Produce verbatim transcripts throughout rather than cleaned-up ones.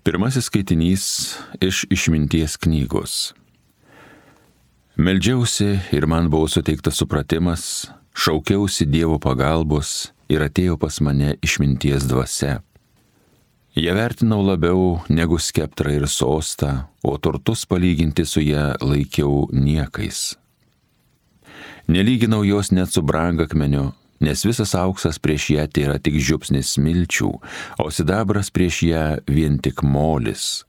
Pirmasis skaitinys iš Išminties knygos. Meldžiausi ir man buvo suteiktas supratimas, šaukiausi Dievo pagalbos ir atėjo pas mane išminties dvasia. Ją vertinau labiau negu skeptrą ir sostą, o turtus palyginti su ją laikiau niekais. Nelyginau jos net su brangakmeniu, nes visas auksas prieš ją tai yra tik žiupsnis smilčių, o sidabras prieš ją vien tik molis.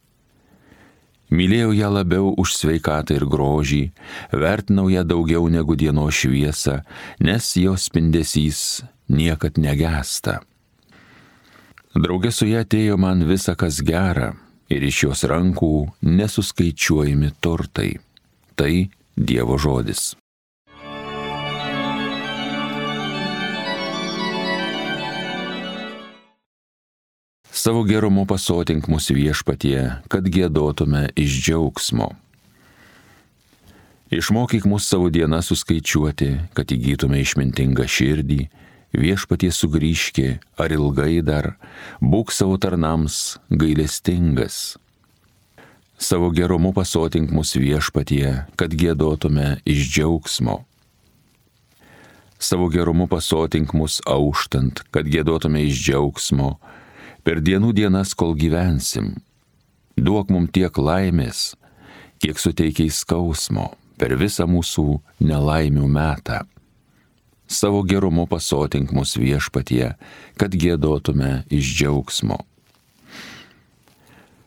Mylėjau ją labiau už sveikatą ir grožį, vertinau ją daugiau negu dienos šviesą, nes jos spindesys niekad negęsta. Drauge su ją atėjo man visa kas gera, ir iš jos rankų nesuskaičiuojami turtai. Tai Dievo žodis. Savo gerumu pasotink mus Viešpatie, kad giedotume iš džiaugsmo. Išmokyk mus savo dieną suskaičiuoti, kad įgytume išmintingą širdį. Viešpatie sugrįžki, ar ilgai dar, būk savo tarnams gailestingas. Savo gerumu pasotink mus Viešpatie, kad giedotume iš džiaugsmo. Savo gerumu pasotink mus auštant, kad giedotume iš džiaugsmo, per dienų dienas, kol gyvensim. Duok mum tiek laimės, kiek suteikiai skausmo per visą mūsų nelaimių metą. Savo gerumu pasotink mus Viešpatie, kad giedotume iš džiaugsmo.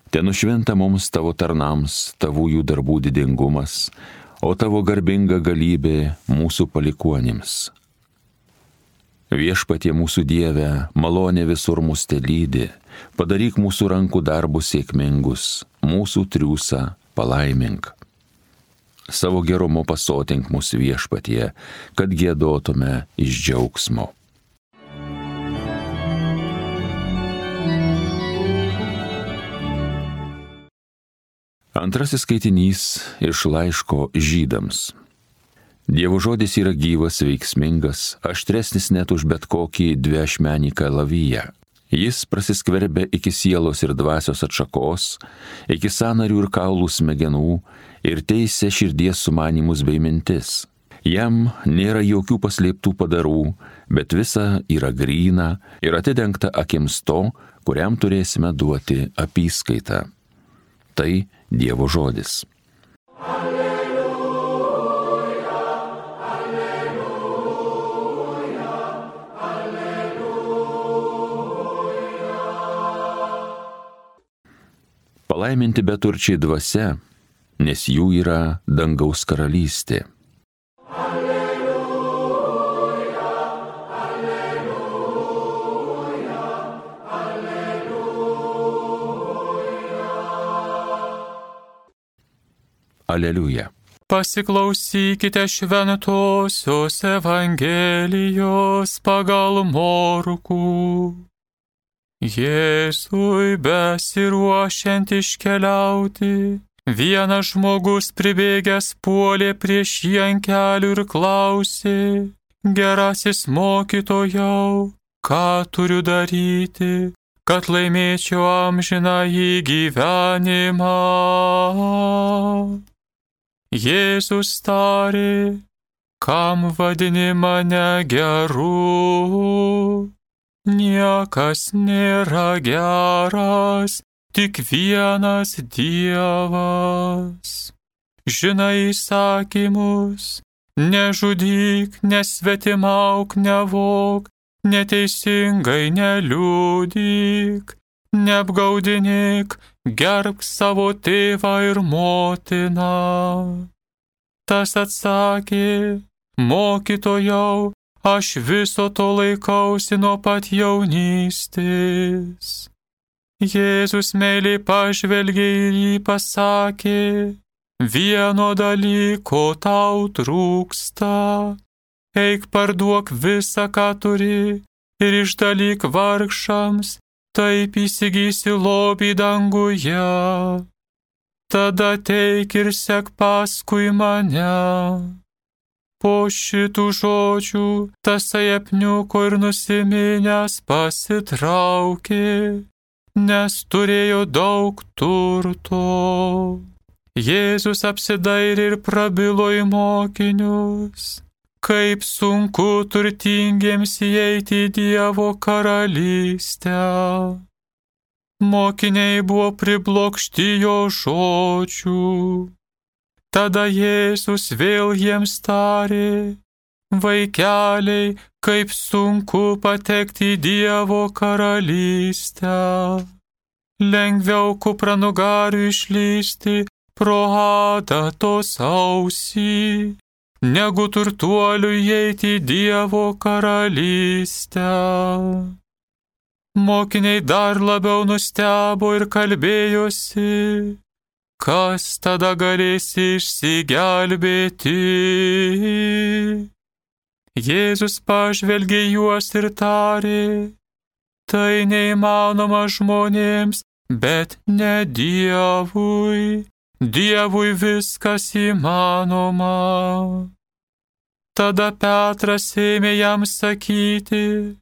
Te nušvinta mums tavo tarnams, tavųjų darbų didingumas, o tavo garbinga galybė mūsų palikuonims. Viešpatie mūsų Dieve, malonė visur mus telydi, padaryk mūsų rankų darbus sėkmingus, mūsų triūsą palaimink. Savo gerumu pasotink mus Viešpatie, kad giedotume iš džiaugsmo. Antrasis skaitinys iš laiško Žydams. Dievo žodis yra gyvas, veiksmingas, aštresnis net už bet kokį dviašmenį kalaviją. Jis prasiskverbia iki sielos ir dvasios atšakos, iki sąnarių ir kaulų smegenų ir teisia širdies sumanymus bei mintis. Jam nėra jokių paslėptų padarų, bet visa yra gryna ir atidengta akims to, kuriam turėsime duoti apyskaitą. Tai Dievo žodis. Palaiminti beturčiai dvasia, nes jų yra dangaus karalystė. Alleluja, alleluja, alleluja. Aleliuja. Pasiklausykite šventosios Evangelijos pagal Morkų. Jėzui besiruošiant iškeliauti, vienas žmogus pribėgęs puolė prieš jį ant kelių ir klausė: Gerasis mokytojau, ką turiu daryti, kad laimėčiau amžinąjį gyvenimą? Jėzus tarė: kam vadini mane geru? Niekas nėra geras, tik vienas Dievas. Žinai įsakymus: nežudyk, nesvetimauk, nevok, neteisingai neliudyk, neapgaudinėk, gerbk savo tėvą ir motiną. Tas atsakė: mokytojau, aš viso to laikausi nuo pat jaunystės. Jėzus meiliai pažvelgė ir jį pasakė: vieno dalyko tau trūksta. Eik parduok visą, ką turi, ir išdalyk vargšams, taip įsigysi lobį danguje. Tada ateik ir sek paskui mane. Po šitų žodžių tasai apniuko ir nusiminęs pasitraukė, nes turėjo daug turto. Jėzus apsidairė ir prabilo į mokinius, kaip sunku turtingiems įeiti į Dievo karalystę. Mokiniai buvo priblokšti jo žodžių. Tada Jėzus vėl jiems tarė: vaikeliai, kaip sunku patekti į Dievo karalystę. Lengviau kupranugariui išlysti pro adatos ausį, negu turtuoliui įeiti į Dievo karalystę. Mokiniai dar labiau nustebo ir kalbėjosi: kas tada galės išsigelbėti? Jėzus pažvelgė juos ir tarė: tai neįmanoma žmonėms, bet ne Dievui. Dievui viskas įmanoma. Tada Petras ėmė jam sakyti: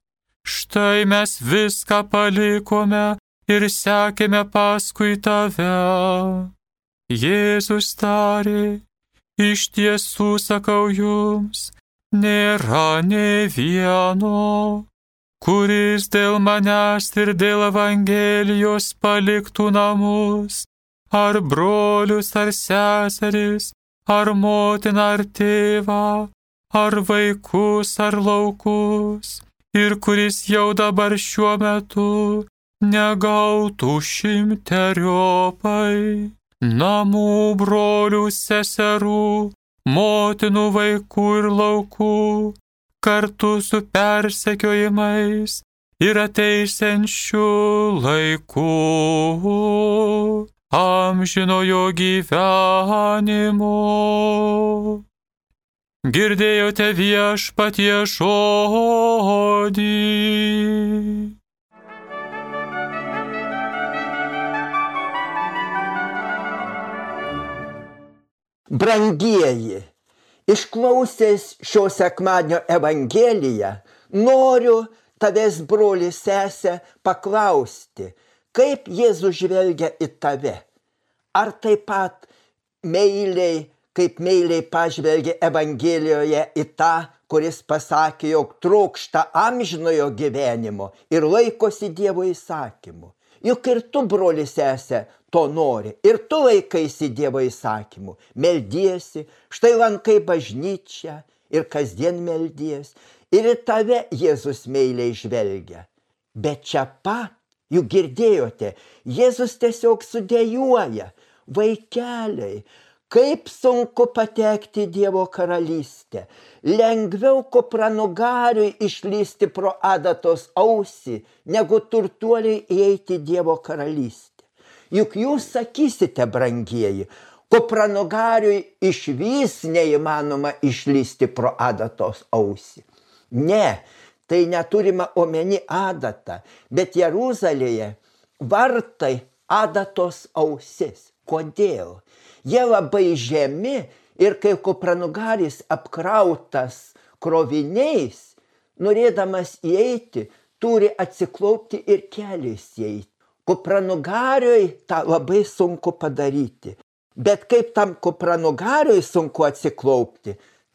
štai mes viską palikome ir sekėme paskui tave. Jėzus tarė: iš tiesų sakau jums, nėra nė vieno, kuris dėl manęs ir dėl Evangelijos paliktų namus, ar brolius, ar seseris, ar motiną, ar tėvą, ar vaikus, ar laukus, ir kuris jau dabar šiuo metu negautų šimteriopai namų, brolių, seserų, motinų, vaikų ir laukų, kartu su persekiojimais ir ateisiančiu laiku amžinojo gyvenimo. Girdėjote Viešpaties žodį. Brangieji, išklausęs šio sekmadienio Evangeliją, noriu tavęs, broli, sesę, paklausti, kaip Jėzus žvelgia į tave. Ar taip pat meiliai, kaip meiliai pažvelgia Evangelijoje į tą, kuris pasakė, jog trokšta amžinojo gyvenimo ir laikosi Dievo įsakymų. Juk ir tu, broli, sesė, to nori. Ir tu laikaisi Dievo įsakymų. Meldiesi, štai lankai bažnyčią ir kasdien meldies. Ir į tave Jėzus meiliai žvelgia. Bet čia pat, juk girdėjote, Jėzus tiesiog sudėjuoja: vaikeliai, kaip sunku patekti į Dievo karalystę. Lengviau kupranugariui išlysti pro adatos ausį, negu turtuoliai įeiti į Dievo karalystę. Juk jūs sakysite, brangieji, kupranugariui išvis neįmanoma išlysti pro adatos ausį. Ne, tai neturima omeny adatą, bet Jeruzalėje vartai adatos ausis. Kodėl? Jie labai žemi ir kai kupranugaris apkrautas kroviniais, norėdamas įeiti, turi atsiklaupti ir keliais įeiti. Kupranugariui tą labai sunku padaryti. Bet kaip tam kupranugariui sunku atsiklaupti,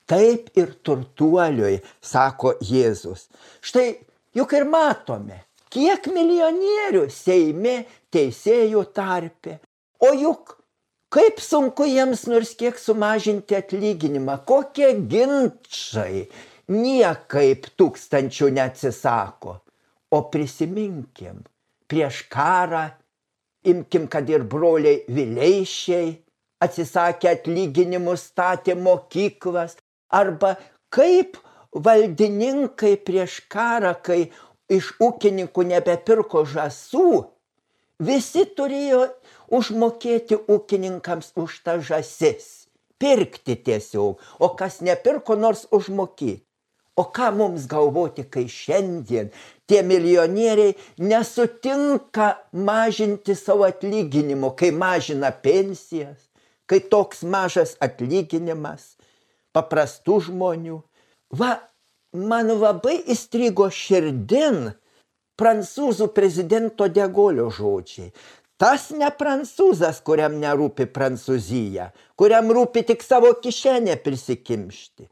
taip ir turtuoliui, sako Jėzus. Štai juk ir matome, kiek milijonierių Seime, teisėjų tarpe. O juk kaip sunku jiems nors kiek sumažinti atlyginimą, kokie ginčai, niekaip tūkstančių neatsisako. O prisiminkim, prieš karą, imkim, kad ir broliai Vileišiai atsisakė atlyginimų, statė mokyklas, arba kaip valdininkai prieš karą, kai iš ūkininkų nebepirko žąsų, visi turėjo užmokėti ūkininkams už tą žąsis, pirkti tiesiog, o kas nepirko, nors užmokėti. O ką mums galvoti, kai šiandien tie milijonieriai nesutinka mažinti savo atlyginimo, kai mažina pensijas, kai toks mažas atlyginimas paprastų žmonių. Va, man labai įstrigo širdin prancūzų prezidento De Gaulio žodžiai. Tas ne prancūzas, kuriam nerūpi Prancūzija, kuriam rūpi tik savo kišenę prisikimšti.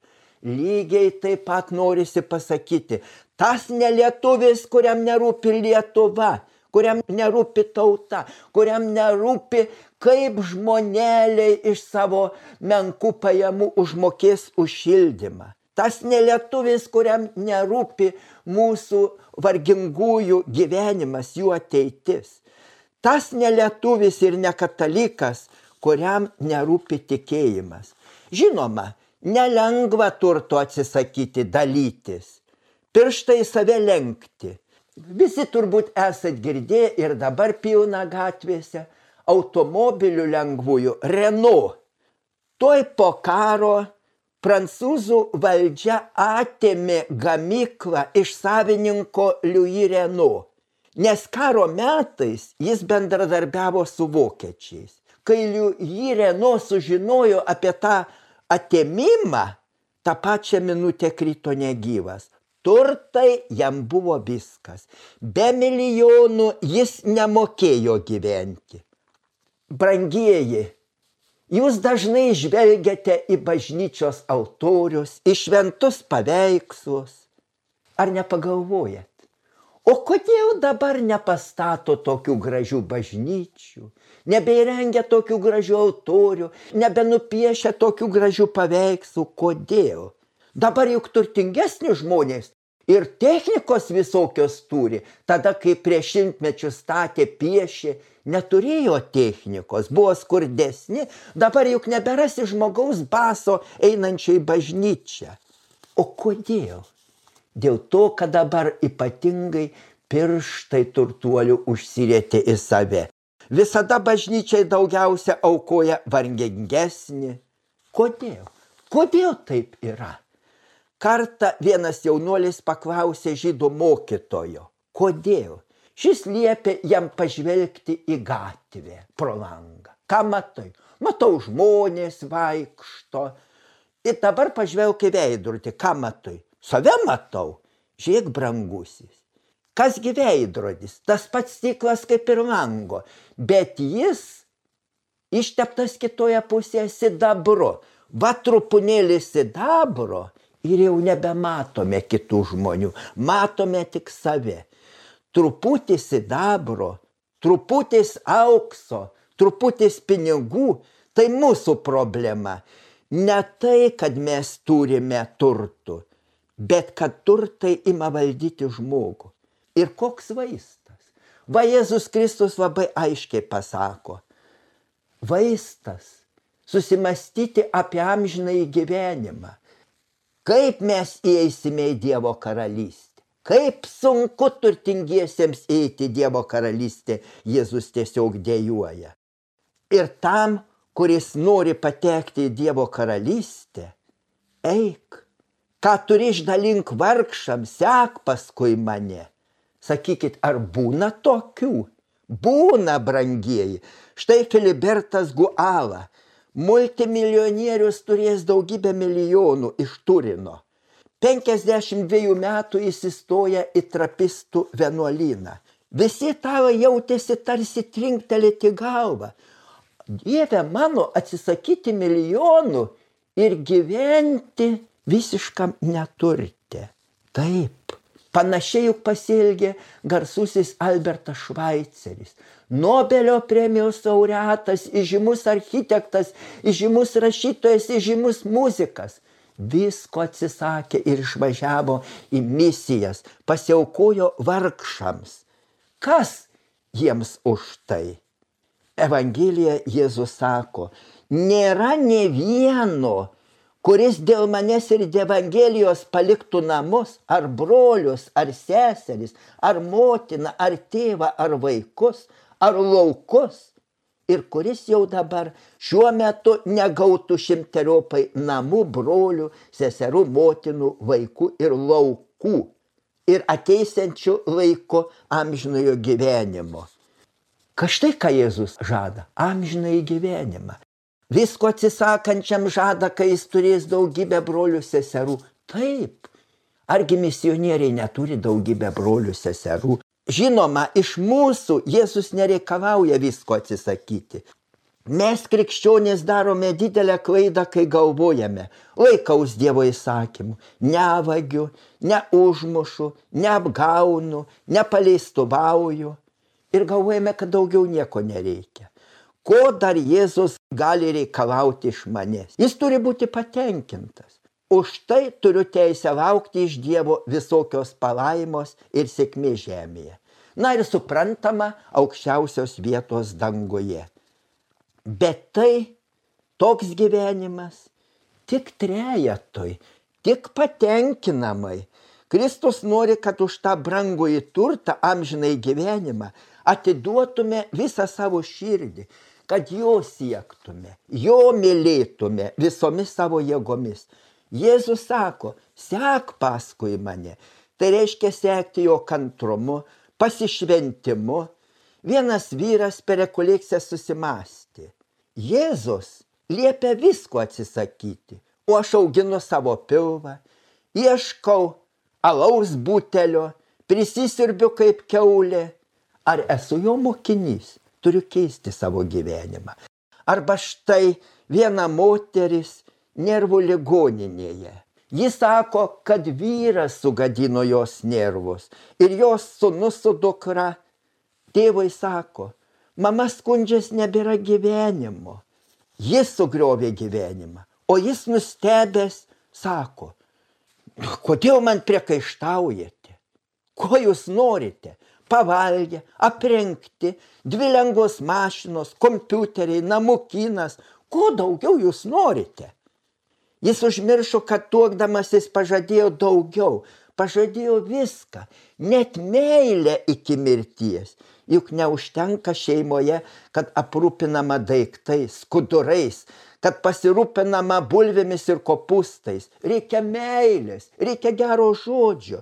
Lygiai taip pat norisi pasakyti, tas ne lietuvis, kuriam nerūpi Lietuva, kuriam nerūpi tauta, kuriam nerūpi, kaip žmoneliai iš savo menkų pajamų užmokės už šildymą. Tas ne lietuvis, kuriam nerūpi mūsų vargingųjų gyvenimas, jų ateitis. Tas ne lietuvis ir ne katalikas, kuriam nerūpi tikėjimas. Žinoma, nelengva turto atsisakyti, dalytis, pirštai save lenkti. Visi turbūt esat girdėję ir dabar pilna gatvėse automobilių lengvųjų Renault. Tuoj po karo prancūzų valdžia atėmė gamyklą iš savininko Louis Renault, nes karo metais jis bendradarbiavo su vokiečiais. Kai Louis Renault sužinojo apie tą atėmimą, tą pačią minutę krito negyvas. Turtai jam buvo viskas. Be milijonų jis nemokėjo gyventi. Brangieji, jūs dažnai žvelgiate į bažnyčios altorius, į šventus paveikslus. Ar nepagalvojat? O kodėl dabar nepastato tokių gražių bažnyčių, nebeįrengia tokių gražių altorių, nebenupiešia tokių gražių paveikslų? Kodėl? Dabar juk turtingesni žmonės ir technikos visokios turi. Tada, kai prieš šimtmečius statė, piešė, neturėjo technikos, buvo skurdesni. Dabar juk neberasi žmogaus baso einančio į bažnyčią. O kodėl? Dėl to, kad dabar ypatingai pirštai turtuolių užsirietė į save. Visada bažnyčiai daugiausia aukoja vargingesni. Kodėl? Kodėl taip yra? Kartą vienas jaunuolis paklausė žydų mokytojo. Kodėl? Šis liepė jam pažvelgti į gatvę pro langą. Ką matai? Matau, žmonės vaikšto. Ir dabar pažvelk į veidrodį. Ką matai? Save matau. Žiūrėk, brangusis. Kasgi veidrodis? Tas pats stiklas kaip ir lango. Bet jis išteptas kitoje pusėje sidabru. Va trupinėlį sidabro. Ir jau nebematome kitų žmonių, matome tik save. Truputis sidabro, truputis aukso, truputis pinigų, tai mūsų problema. Ne tai, kad mes turime turtų, bet kad turtai ima valdyti žmogų. Ir koks vaistas? Va Jėzus Kristus labai aiškiai pasako. Vaistas susimastyti apie amžinąjį gyvenimą. Kaip mes įeisime į Dievo karalystę? Kaip sunku turtingiesiems eiti į Dievo karalystę, Jėzus tiesiog dejuoja. Ir tam, kuris nori patekti į Dievo karalystę, eik, ką turi išdalink vargšams, sek paskui mane. Sakykit, ar būna tokių? Būna, brangieji. Štai Filibertas Guala. Multimilijonierius turės daugybę milijonų iš Turino. penkiasdešimt dviejų metų jis įstoja į trapistų vienuolyną. Visi tavo jautėsi tarsi trinktelėti galvą. Dieve mano, atsisakyti milijonų ir gyventi visiškam neturte. Taip, panašiai juk pasielgė garsusis Albertas Švaiceris. Nobelio premijos laureatas, įžymus architektas, įžymus rašytojas, įžymus muzikas. Visko atsisakė ir išvažiavo į misijas, pasiaukojo vargšams. Kas jiems už tai? Evangelija Jėzus sako, nėra nė vieno, kuris dėl manęs ir dėl Evangelijos paliktų namus, ar brolius, ar seseris, ar motiną, ar tėvą, ar vaikus, ar laukus, ir kuris jau dabar šiuo metu negautų šimteriopai namų, brolių, seserų, motinų, vaikų ir laukų, ir ateisiančių laiku amžinojo gyvenimo. Kažtai, ką Jėzus žada, amžinąjį gyvenimą. Visko atsisakančiam žada, kai jis turės daugybę brolių, seserų. Taip, argi misionieriai neturi daugybę brolių, seserų? Žinoma, iš mūsų Jėzus nereikalauja visko atsisakyti. Mes krikščionys darome didelę klaidą, kai galvojame, laikaus Dievo įsakymų, nevagiu, neužmušu, neapgaunu, nepaleistuvauju ir galvojame, kad daugiau nieko nereikia. Ko dar Jėzus gali reikalauti iš manęs? Jis turi būti patenkintas. Už tai turiu teisę laukti iš Dievo visokios palaimos ir sėkmės žemėje. Na ir suprantama, aukščiausios vietos danguje. Bet tai toks gyvenimas tik trejetui, tik patenkinamai. Kristus nori, kad už tą brangųjį turtą, amžinai gyvenimą, atiduotume visą savo širdį, kad jo siektume, jo mylėtume visomis savo jėgomis. Jėzus sako, sek paskui mane. Tai reiškia sekti jo kantrumu, pasišventimu. Vienas vyras per rekolekciją susimąstė. Jėzus liepia visko atsisakyti, o aš auginu savo pilvą, ieškau alaus butelio, prisisirbiu kaip kiaulė. Ar esu jo mokinys? Turiu keisti savo gyvenimą. Arba štai viena moteris nervų ligoninėje. Jis sako, kad vyras sugadino jos nervus ir jos sūnus su dukra. Tėvai sako, mama skundžias nebėra gyvenimo. Jis sugriovė gyvenimą, o jis nustebęs sako, kodėl man priekaištaujate? Ko jūs norite? Pavalgę, aprengti, dvi lengvos mašinos, kompiuteriai, namukynas. Ko daugiau jūs norite? Jis užmiršo, kad tuokdamasis pažadėjo daugiau, pažadėjo viską, net meilę iki mirties. Juk neužtenka šeimoje, kad aprūpinama daiktais, skudurais, kad pasirūpinama bulvėmis ir kopūstais. Reikia meilės, reikia gero žodžio.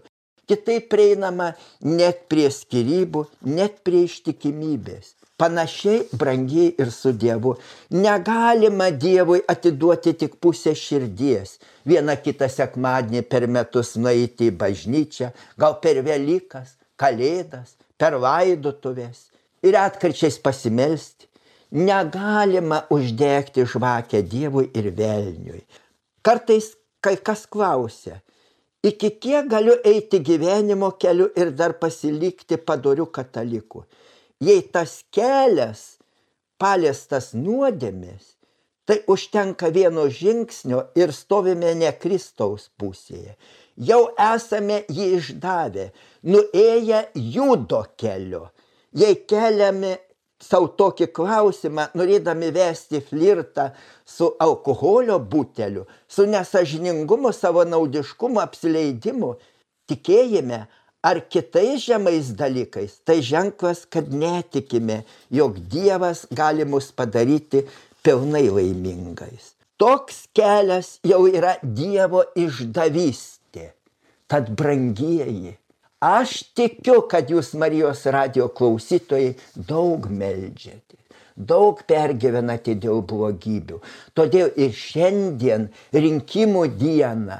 Kitaip prieinama net prie skyrybų, net prie ištikimybės. Panašiai, brangiai ir su Dievu. Negalima Dievui atiduoti tik pusę širdies. Vieną kitą sekmadienį per metus nueiti į bažnyčią, gal per Velykas, Kalėdas, per laidotuvės ir atkarčiais pasimelsti. Negalima uždegti žvakę Dievui ir velniui. Kartais kai kas klausia, iki kiek galiu eiti gyvenimo keliu ir dar pasilikti padoriu kataliku? Jei tas kelias paliestas nuodėmės, tai užtenka vieno žingsnio ir stovime ne Kristaus pusėje. Jau esame jį išdavę, nuėję Judo keliu. Jei keliame savo tokį klausimą, norėdami vesti flirtą su alkoholio buteliu, su nesažiningumu, savo naudiškumu, apsileidimu, tikėjime ar kitais žemais dalykais, tai ženklas, kad netikime, jog Dievas gali mus padaryti pilnai laimingais. Toks kelias jau yra Dievo išdavystė. Tad brangieji, aš tikiu, kad jūs Marijos radijo klausytojai daug meldžiate, daug pergyvenate dėl blogybių. Todėl ir šiandien rinkimų dieną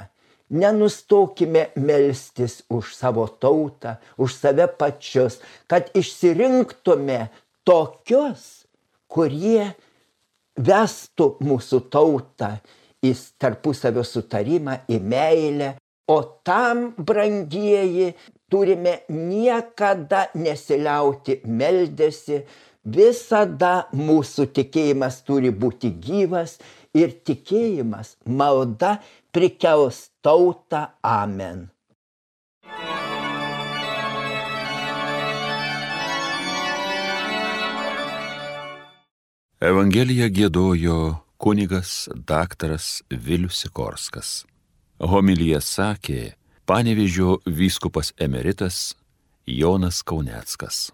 nenustokime melstis už savo tautą, už save pačius, kad išsirinktume tokius, kurie vestų mūsų tautą į tarpusavio sutarimą, į meilę. O tam, brangieji, turime niekada nesiliauti meldėsi, visada mūsų tikėjimas turi būti gyvas ir tikėjimas, malda prikels tautą. Amen. Evangeliją giedojo kunigas daktaras Vilius Sikorskas. Homiliją sakė Panevėžio vyskupas emeritas Jonas Kauneckas.